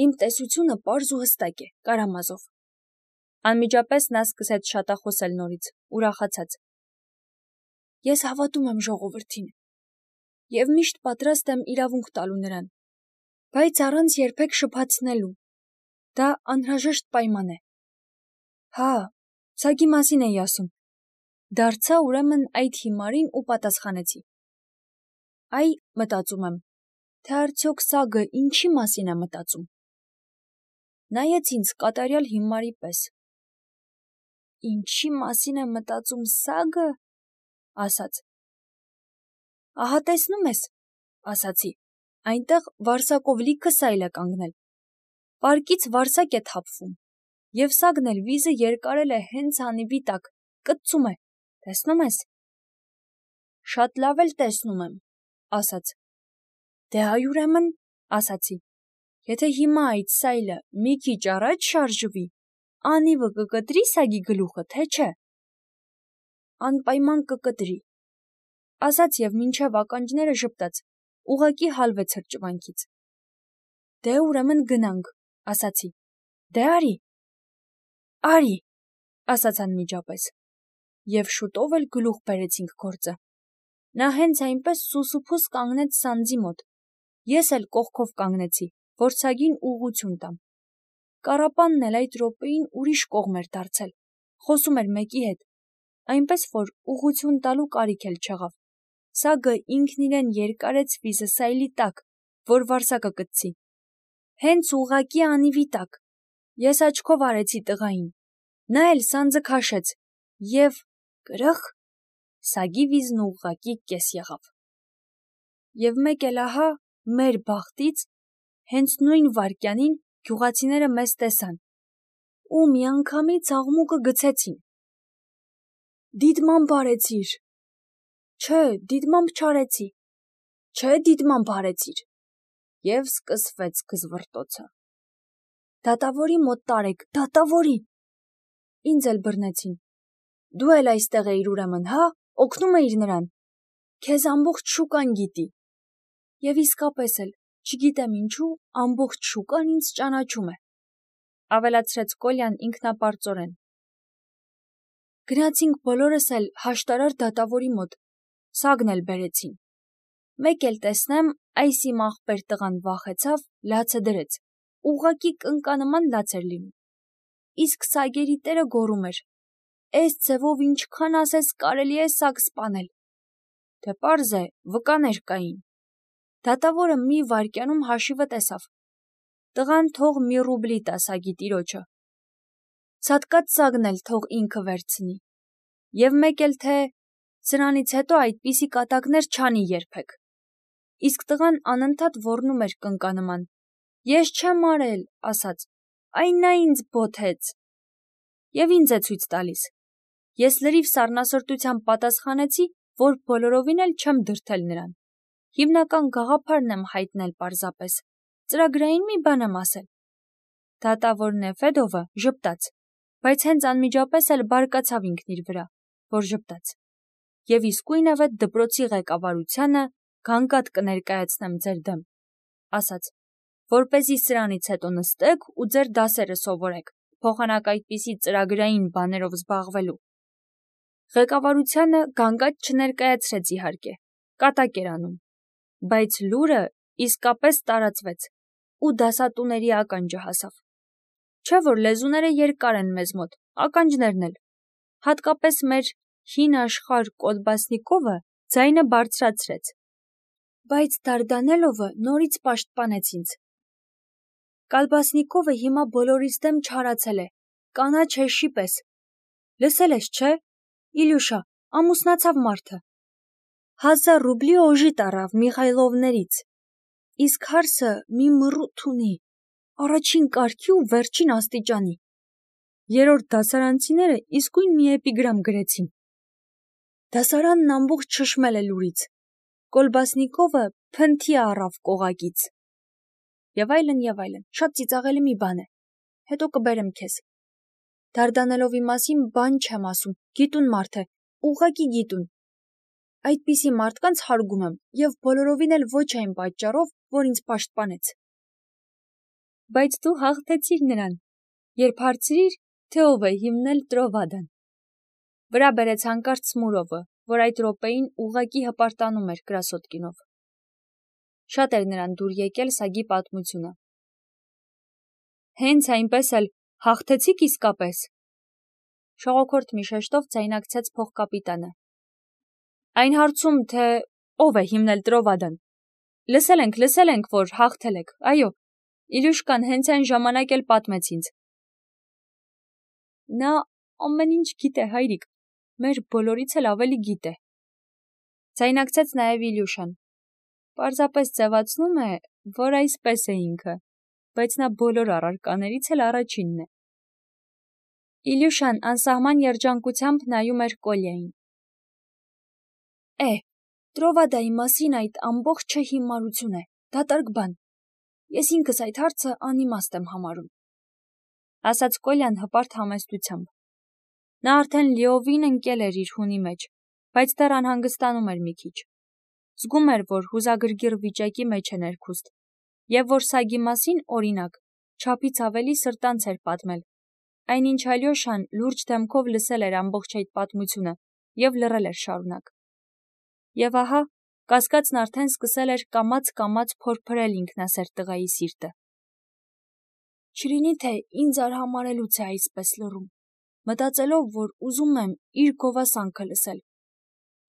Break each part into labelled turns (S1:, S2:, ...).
S1: Իմ տեսությունը պարզ ու հստակ է, Կարամազով։ Անմիջապես նա սկսեց շատախոսել նորից, ուրախացած։ Ես հավատում եմ ժողովրդին և միշտ պատրաստ եմ իրավունք տալու նրան, բայց առանց երբեք շփացնելու։ Դա անհրաժեշտ պայման է։ Հա, սագի մասին էի ասում։ Դարձա ուրեմն այդ հիմարին ու պատասխանեցի. Այ, մտածում եմ, թե արդյոք սագը ինչի մասին է մտածում։ Նայեց ինձ կատարյալ հիմարի պես։ Ինչի մասին է մտածում սագը, ասաց։ Ահա տեսնում ես, ասացի, այնտեղ վարսակով լիքը սայլ է կանգնել։ Պարկից վարսակ է թափվում, և սագն էլ վիզը երկարել է հենց անիվի տակ, կծում է, տեսնում ես։ Շատ լավ էլ տեսնում եմ, ասաց։ Դե այ ուրեմն, ասացի, եթե հիմա այդ սայլը մի քիչ առաջ շարժվի, անիվը կկտրի սագի գլուխը, թե չէ։ Անպայման կկտրի, ասաց և մինչև ականջները ժպտաց, ուղղակի հալվեց հրճվանքից։ Դե ուրեմն գնանք, ասացի։ Դե արի, ասաց անմիջապես։ Եվ շուտով էլ գլուխ բերեցինք գործը։ Նա հենց այնպես սուսուփուս կանգնեց սանձի մոտ։ Ես էլ կողքով կանգնեցի, որ սագին ուղղություն տամ։ Կառապանն էլ այդ րոպեին ուրիշ կողմ էր դարձել, խոսում էր մեկի հետ, այնպես որ ուղղություն տալու կարիք էլ չեղավ։ Սագը ինքն իրեն երկարեց վիզը սայլի տակ, որ վարսակը կծի։ Հենց ուղղակի անիվի տակ։ Ես աչքով արեցի տղային։ Նա էլ սանձը քաշեց, և կրըխ, սագի վիզն ուղղակի կես եղավ։ Եվ մեկ էլ ահա, մեր բախտից, հենց նույն վայրկյանին գյուղացիները մեզ տեսան ու միանգամից աղմուկը գցեցին։ Դիտմամբ արեցիր։ Չէ, դիտմամբ չարեցի։ Չէ, դիտմամբ արեցիր։ Եվ սկսվեց գզվռտոցը։ Դատավորի մոտ տարեք, դատավորի։ Ինձ էլ բռնեցին։ Դու էլ այստեղ էիր ուրեմն, հա, օգնում էիր նրան։ Քեզ ամբողջ շուկան գիտի։ Եվ իսկապես էլ, չգիտեմ ինչու, ամբողջ շուկան ինձ ճանաչում է, ավելացրեց Կոլյան ինքնապարծորեն։ Գնացինք բոլորս էլ հաշտարար դատավորի մոտ, սագն էլ բերեցին։ Մեկ էլ տեսնեմ, այս իմ ախպեր տղան վախեցավ, լացը դրեց, ուղղակի կնկանման լաց էր լինում։ Իսկ սագերի տերը գոռում էր. Էս ձևով ինչքան ասես կարելի է սագ սպանել։ Դե պարզ է, վկաներ կային։ Դատավորը մի վայրկյանում հաշիվը տեսավ։ Տղան թող մի ռուբլի տա սագի տիրոջը։ Ցատկած սագն էլ թող ինքը վերցնի։ Եվ մեկ էլ թե սրանից հետո այդպիսի կատակներ չանի երբեք։ Իսկ տղան անընդհատ ոռնում էր կնկանման։ Ես չեմ արել, ասաց, այն նա ինձ բոթեց։ Եվ ինձ է ցույց տալիս։ Ես լրիվ սառնասրտությամբ պատասխանեցի, որ բոլորովին էլ չեմ դրդել նրան։ Հիմնական գաղափարն եմ հայտնել պարզապես, ծրագրային մի բան եմ ասել։ Դատավոր Նեֆեդովը ժպտաց, բայց հենց անմիջապես էլ բարկացավ ինքն իր վրա, որ ժպտաց։ Եվ իսկույնևեթ դպրոցի ղեկավարությանը գանգատ կներկայացնեմ ձեր դեմ, ասաց, որպեսզի սրանից հետո նստեք ու ձեր դասերը սովորեք, փոխանակ այդպիսի ծրագրային բաներով զբաղվելու։ Ղեկավարությանը գանգատ չներկայացրեց իհարկե, կատակ էր անում, բայց լուրը իսկապես տարածվեց ու դասատուների ականջը հասավ։ Չէ՞ որ լեզուները երկար են մեզ մոտ, ականջներն էլ։ Հատկապես մեր հին աշխարհ Կոլբասնիկովը ձայնը բարձրացրեց։ Բայց Դարդանելովը նորից պաշտպանեց ինձ։ Կալբասնիկովը հիմա բոլորիս դեմ չարացել է, կանաչ հեշի պես։ Լսել ես, չէ՞, Իլյուշա, ամուսնացավ մարդը։ 1000 ռուբլի օժի տարավ Միխայլովներից։ Իսկ հարսը մի մռութ ունի, առաջին կարգի ու վերջին աստիճանի։ Երրորդ դասարանցիները իսկույն մի էպիգրամ գրեցին։ Դասարանն ամբողջ շշմել է լուրից։ Կոլբասնիկովը փնթի առավ կողակից։ Եվ այլն, շատ ծիծաղելի մի բան է։ Հետո կբերեմ քեզ։ Դարդանելովի մասին բան չեմ ասում, գիտուն մարդ է, ուղղակի գիտուն։ Այդպիսի մարդկանց հարգում եմ և բոլորովին էլ ոչ այն պատճառով, որ ինձ պաշտպանեց։ Բայց դու հաղթեցիր նրան, երբ հարցրիր, թե ով է հիմնել Տրովադան։ Վրա բերեց հանկարծ Սմուրովը, որ այդ րոպեին ուղղակի հպարտանում էր Կրասոտկինով։ Շատ էր նրան դուր եկել սագի պատմությունը։ Հենց այնպես էլ հաղթեցիք իսկապես։ Շողոքորթ մի շեշտով ձայնարկեց փոխկապիտանը։ Այն հարցում, թե ով է հիմնել Տրովադան։ Լսել ենք, որ հաղթել եք, այո, Իլյուշկան հենց այն ժամանակ էլ պատմեց ինձ։ Նա ամեն ինչ գիտե, հայրիկ, մեր բոլորից էլ ավելի գիտե։ Ձայնարկեց նաև Իլյուշան։ Պարզապես ձևացնում է, որ այսպես է ինքը, բայց նա բոլոր առարկաներից էլ առաջինն է։ Իլյուշան անսահման երջանկությամբ նայում էր Կոլյային։ Տրովադայի մասին այդ ամբողջը հիմարություն է, դատարկ բան։ Ես ինքս այդ հարցը անիմաստ եմ համարում, ասաց Կոլյան հպարտ համեստությամբ։ Նա արդեն լիովին ընկել էր իր հունի մեջ, բայց դեռ անհանգստանում էր մի քիչ։ Զգում էր, որ հուզագրգիռ վիճակի մեջ է ներքուստ, եւ որ սագի մասին, օրինակ, չափից ավելի սրտանց էր պատմել, այնինչ Ալյոշան լուրջ դեմքով լսել էր ամբողջ այդ պատմությունը եւ լռել էր շարունակ։ Եվ ահա, կասկածն արդեն սկսել էր կամաց փորփրել ինքնասեր տղայի սիրտը։ Չլինի թե ինձ արհամարելուց է այսպես լռում, մտածելով, որ ուզում եմ իր գովասանքը լսել։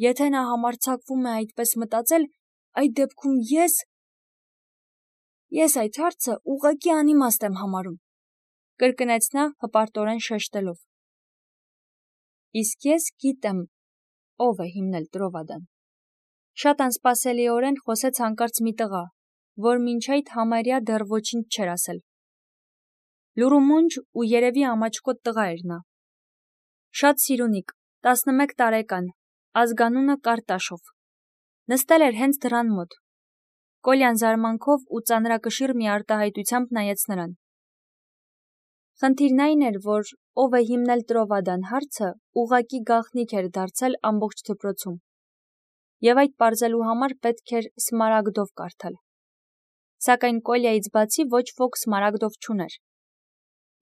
S1: Եթե նա համարձակվում է այդպես մտածել, այդ դեպքում ես այդ հարցը ուղղակի անիմաստ եմ համարում, կրկնեց նա հպարտորեն շեշտելով։ Իսկ ես գիտեմ, ով է հիմնել Տրովադան։ Շատ անսպասելիորեն խոսեց հանկարծ մի տղա, որ մինչ այդ համարյա դեռ ոչինչ չէր ասել։ Լուրումունջ ու երևի ամաչկոտ տղա էր նա։ Շատ սիրունիկ, 11 տարեկան, ազգանունը Կարտաշով։ Նստել էր հենց դռան մոտ։ Կոլյան զարմանքով ու ծանրակշիռ մի արտահայտությամբ նայեց նրան։ Խնդիրն այն էր, որ ով է հիմնել Տրովադան հարցը ուղղակի գաղտնիք էր դարձել ամբողջ դպրոցում։ Եվ այդ պարզելու համար պետք էր Սմարագդով կարդալ։ Սակայն Կոլյայից բացի ոչ ոք Սմարագդով չուներ։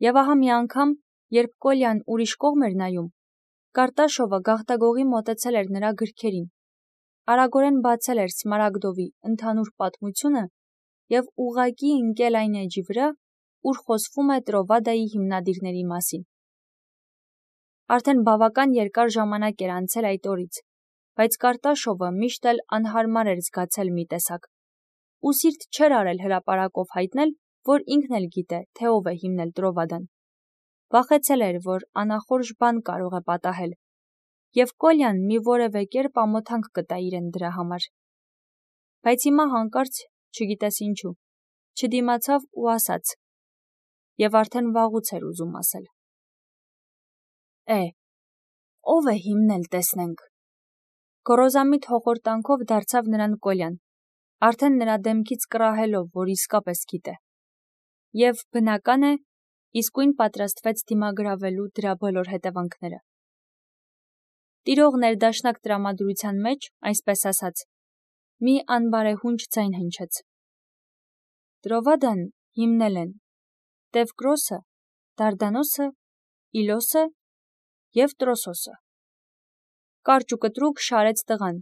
S1: Եվ ահա մի անգամ, երբ Կոլյան ուրիշ կողմ էր նայում, Կարտաշովը գաղտագողի մոտեցել էր նրա գրքերին, արագորեն բացել էր Սմարագդովի ընդհանուր պատմությունը եւ ուղղակի ընկել այն էջի վրա, ուր խոսվում է Տրովադայի հիմնադիրների մասին։ Արդեն բավական երկար ժամանակ էր անցել այդ օրից, բայց Կարտաշովը միշտ էլ անհարմար էր զգացել մի տեսակ, ու սիրտ չէր արել հրապարակով հայտնել, որ ինքն էլ գիտե, թե ով է հիմնել Տրովադան։ Վախեցել էր, որ անախորժ բան կարող է պատահել, եւ Կոլյան մի որևէ կերպ ամոթանք կտա իրեն դրա համար։ Բայց հիմա հանկարծ, չգիտես ինչու, չդիմացավ ու ասաց, եւ արդեն վաղուց էր ուզում ասել. Ով է հիմնել, տեսնենք։ Գոռոզամիտ հոխորտանքով դարձավ նրան Կոլյան, արդեն նրա դեմքից կռահելով, որ իսկապես գիտե։ Եվ բնական է, իսկույն պատրաստվեց դիմագրավելու դրա բոլոր հետևանքները։ Տիրող ներդաշնակ տրամադրության մեջ, այսպես ասած, մի անբարեհունչ ձայն հնչեց։ Տրովադան հիմնել են Տևկրոսը, Դարդանոսը, Իլոսը և Տրոսոսը։ Կարճ ու կտրուկ շարեց տղան,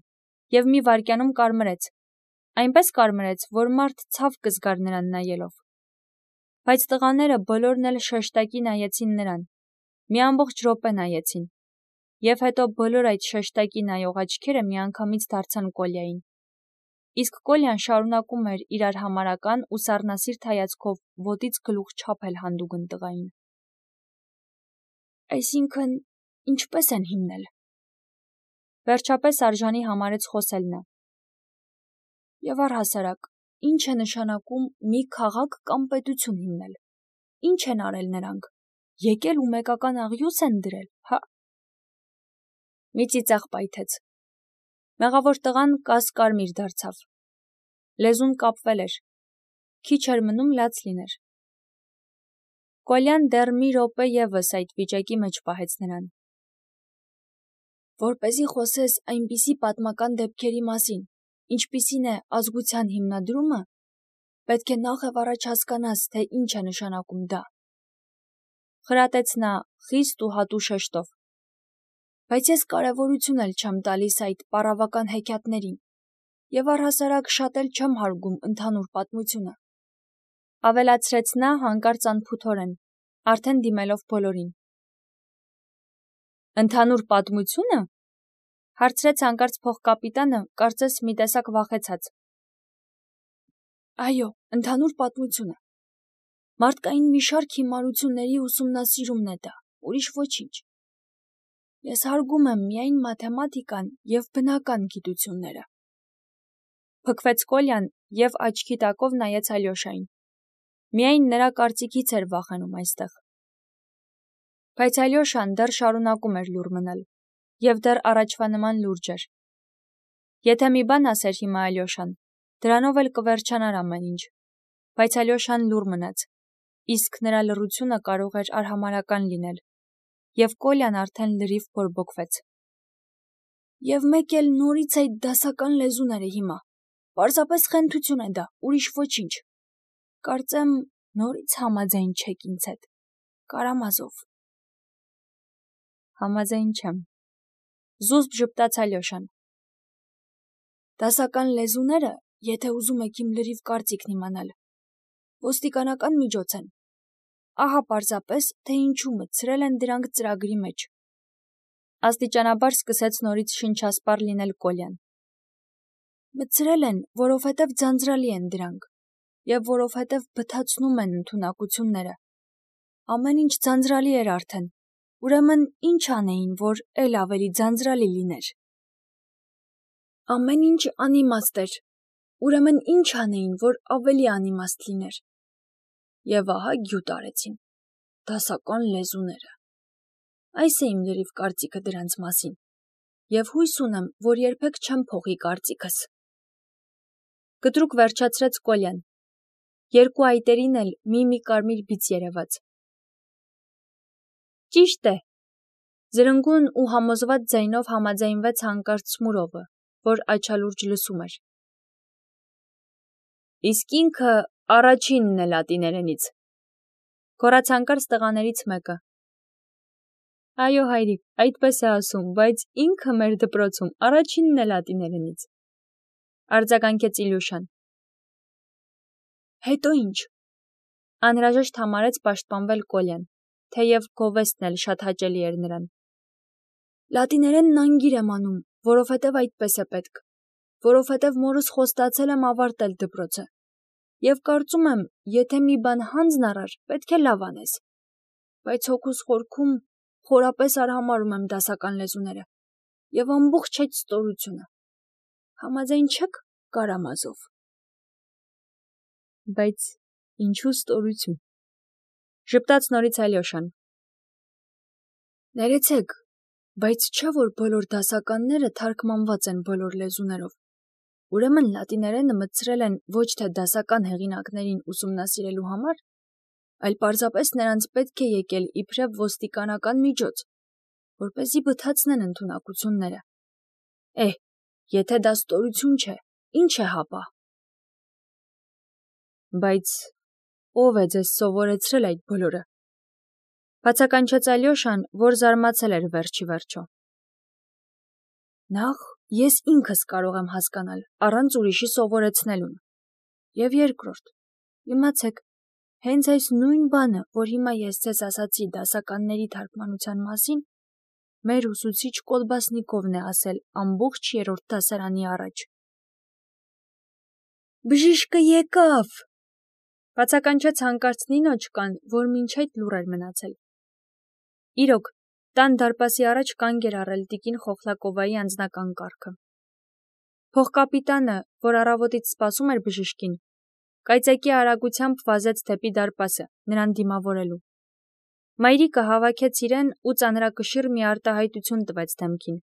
S1: եւ մի վայրկյանում կարմրեց, այնպես կարմրեց, որ մարդ ցավ կզգար նրան նայելով։ Բայց տղաները բոլորն էլ շեշտակի նայեցին նրան, մի ամբողջ րոպե նայեցին, եւ հետո բոլոր այդ շեշտակի նայող աչքերը միանգամից դարձան Կոլյային։ Իսկ Կոլյան շարունակում էր իր արհամարական ու սառնասիրտ հայացքով ոտից գլուխ չափել հանդուգն տղային։ Այսինքն, ինչպես են հիմնել։ Վերջապես արժանի համարեց խոսել նա։ Եվ առհասարակ, ինչ է նշանակում մի քաղաք կամ պետություն հիմնել։ Ինչ են արել նրանք։ Եկել ու մեկական աղյուս են դրել, հա։ Մի ծիծաղ պայթեց։ Մեղավոր տղան կաս-կարմիր դարձավ։ Լեզուն կապվել էր։ Քիչ էր մնում լաց լիներ։ Կոլյան դեռ մի րոպե ևս այդ վիճակի մեջ պահեց նրան։ Որպեսզի խոսես այնպիսի պատմական դեպքերի մասին, ինչպիսին է ազգության հիմնադրումը, պետք է նախ եւ առաջ հասկանաս, թե ինչ է նշանակում դա։ Խրատեց նա խիստ ու հատու շեշտով։ Բայց ես կարևորություն էլ չեմ տալիս այդ պարավական հեքիաթներին, եւ առհասարակ շատ էլ չեմ հարգում ընդհանուր պատմությունը։ Ավելացրեց նա հանկարծ անփութորեն, արդեն դիմելով բոլորին։ Ընդհանուր պատմությունը, հարցրեց հանկարծ փոխկապիտանը, կարծես մի տեսակ վախեցած։ Այո, ընդհանուր պատմությունը։ Մարդկային մի շարք հիմարությունների ուսումնասիրումն է դա, ուրիշ ոչինչ։ Ես հարգում եմ միայն մաթեմատիկան եւ բնական գիտությունները։ Փքվեց Կոլյան եւ աչքի տակով նայեց Ալյոշային։ Միայն նրա կարծիքից էր վախենում այստեղ։ Բայց Ալյոշան դեռ շարունակում էր լուռ մնալ, եւ դեռ առաջվա նման լուրջ էր։ Եթե մի բան ասեր հիմա Ալյոշան, դրանով էլ կվերջանար ամեն ինչ։ Բայց Ալյոշան լուռ մնաց, իսկ նրա լռությունը կարող էր արհամարհական լինել, եւ Կոլյան արդեն լրիվ բորբոքվեց։ Եվ մեկ էլ նորից այդ դասական լեզուները հիմա։ Պարզապես խենթություն է դա, ուրիշ ոչինչ։ Կարծեմ նորից համաձայն չեք ինձ հետ, Կարամազով։ Համաձայն չեմ։ Զուսպ ժպտաց Ալյոշան։ Դասական լեզուները, եթե ուզում եք իմ լրիվ կարծիքն իմանալ, ոստիկանական միջոց են։ Ահա պարզապես, թե ինչու մտցրել են դրանք ծրագրի մեջ։ Աստիճանաբար սկսեց նորից շնչասպառ լինել Կոլյան։ Մտցրել են, որովհետև ձանձրալի են դրանք, եւ որովհետև բթացնում են ընդունակությունները։ Ամեն ինչ ձանձրալի էր արդեն, ուրեմն ինչ անեին, որ էլ ավելի ձանձրալի լիներ։ Ամեն ինչ անիմաստ էր, ուրեմն ինչ անեին, որ ավելի անիմաստ լիներ։ Եվ ահա գյուտ արեցին, դասական լեզուները։ Այս է իմ լրիվ կարծիքը դրանց մասին, եւ հույս ունեմ, որ երբեք չեմ փոխի կարծիքս։ Կտրուկ վերջացրեց Կոլյան։ Երկու այտերին էլ մի կարմիր բիծ երևաց։ Ճիշտ է, զրնգուն ու համոզված ձայնով համաձայնվեց հանկարծ Սմուրովը, որ աչալուրջ լսում էր։ Իսկ ինքը առաջինն է լատիներենից։ Գոռաց հանկարծ տղաներից մեկը։ Այո, հայրիկ, այդպես է ասում, բայց ինքը մեր դպրոցում առաջինն է լատիներենից։ Արձագանքեց Իլյուշան։ Հետո ինչ։ Անհրաժեշտ համարեց պաշտպանվել Կոլյան, թեև գովեստն էլ շատ հաճելի էր նրան։ Լատիներենն անգիր եմ անում, որովհետև այդպես է պետք, որովհետև մորս խոստացել եմ ավարտել դպրոցը։ Եվ կարծում եմ, եթե մի բան հանձն առար, պետք է լավ անես։ Բայց հոգուս խորքում խորապես արհամարհում եմ դասական լեզուները եւ ամբողջ այդ ստորությունը։ Համաձայն չեք, Կարամազով։ Բայց ինչու ստորություն։ Ժպտաց նորից Ալյոշան։ Ներեցեք, բայց չէ՞ որ բոլոր դասականները թարգմանված են բոլոր լեզուներով։ Ուրեմն լատիներենը մտցրել են ոչ թե դասական հեղինակներին ուսումնասիրելու համար, այլ պարզապես նրանց պետք է եկել իբրև ոստիկանական միջոց, որպեսզի բթացնեն ընդունակությունները։ Եթե դա ստորություն չէ, ինչ է հապա։ Բայց ով է ձեզ սովորեցրել այդ բոլորը։ Բացականչեց Ալյոշան, որ զարմացել էր վերջի վերջո։ Նախ ես ինքս կարող եմ հասկանալ, առանց ուրիշի սովորեցնելուն։ Եվ երկրորդ, իմացեք, հենց այս նույն բանը, որ հիմա ես ձեզ ասացի դասականների թարգմանության մասին, մեր ուսուցիչ Կոլբասնիկովն է ասել ամբողջ երրորդ դասարանի առաջ։ Բժիշկը եկավ։ Բացականչեց հանկարծ Նինոչկան, որ մինչ այդ լուռ էր մնացել։ Իրոք, տան դարպասի առաջ կանգ էր առել տիկին Խոխլակովայի անձնական կառքը։ Փոխկապիտանը, որ առավոտից սպասում էր բժշկին, կայծակի արագությամբ վազեց դեպի դարպասը, նրան դիմավորելու։ Մայրիկը հավաքեց իրեն ու ծանրակշիռ մի արտահայտություն տվեց դեմքին։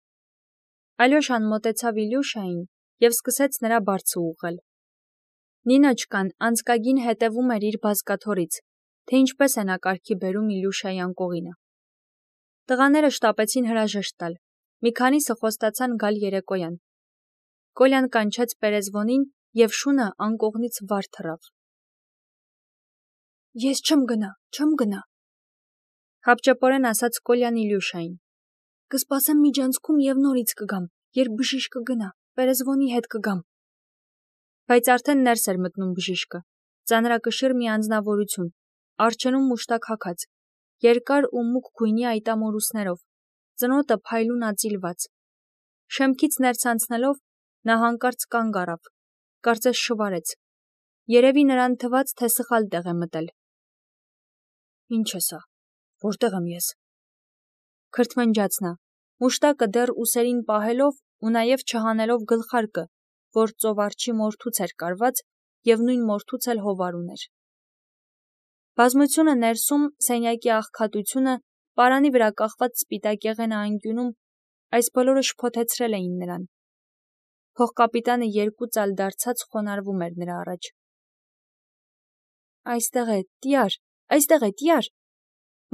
S1: Ալյոշան մոտեցավ Իլյուշային եւ սկսեց նրա բարձը ուղղել։ Նինոչկան անցկագին հետևում էր իր բազկաթոռից, թե ինչպես է նա կարգի բերում Իլյուշայի անկողինը։ Տղաները շտապեցին հրաժեշտ տալ, մի քանիսը խոստացան գալ երեկոյան։ Կոլյան կանչեց Պերեզվոնին եւ շունը անկողնից վար թռավ։ Ես չեմ գնա։ Հապճեպորեն ասաց Կոլյան Իլյուշային։ Կսպասեմ միջանցքում եւ նորից կգամ, երբ բժիշկը գնա, Պերեզվոնի հետ կգամ։ Բայց արդեն ներս էր մտնում բժիշկը, ծանրակշիռ մի անձնավորություն, արջերում մուշտակ հագած, երկար ու մուգ գույնի այտամորուսներով, ծնոտը փայլուն ածիլված։ Շեմքից ներս անցնելով նա հանկարծ կանգ առավ, կարծես շվարեց։ Երևի նրան թվաց, թե սխալ տեղ է մտել։ Ինչ է սա, որտեղ եմ ես։ Քրթմնջաց նա, մուշտակը դեռ ուսերին պահելով ու նաև չհանելով գլխարկը, որ ծովարջի մորթուց էր կարված և նույն մորթուց էլ հովար ուներ։ Բազմությունը ներսում, սենյակի աղքատությունը, պարանի վրա կախված սպիտակեղենը անկյունում, այս բոլորը շփոթեցրել էին նրան։ Փողկապիտանը երկու ծալ դարձած խոնարհվում էր նրա առաջ։ Այստեղ է, տյար,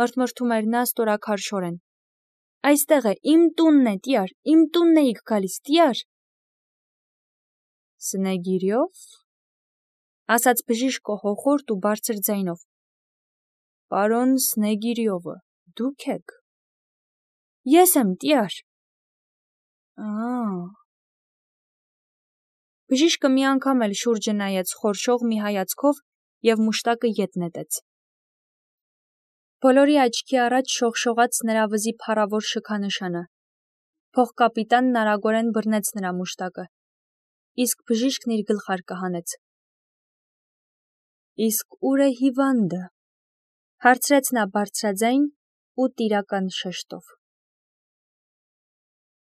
S1: մրթմրթում էր նա ստորաքարշորեն։ Այստեղ է, իմ տունն է, տյար, իմ տունն էիք գալիս, տյար։ Սնեգիրյով, ասաց բժիշկը հոխորտ ու բարձր ձայնով։ Պարոն Սնեգիրյովը, դուք եք։ Ես եմ, տյար։ Բժիշկը մի անգամ էլ շուրջը նայեց խորշող մի հայացքով և մուշտակը ետ նետեց։ Բոլորի աչքի առաջ շողշողաց նրա վզի փառավոր շքանշանը։ Փողկապիտանն արագորեն բռնեց նրա մուշտակը, իսկ բժիշկն իր գլխարկը հանեց։ Իսկ ուր է հիվանդը, հարցրեց նա բարձրաձայն ու տիրական շեշտով։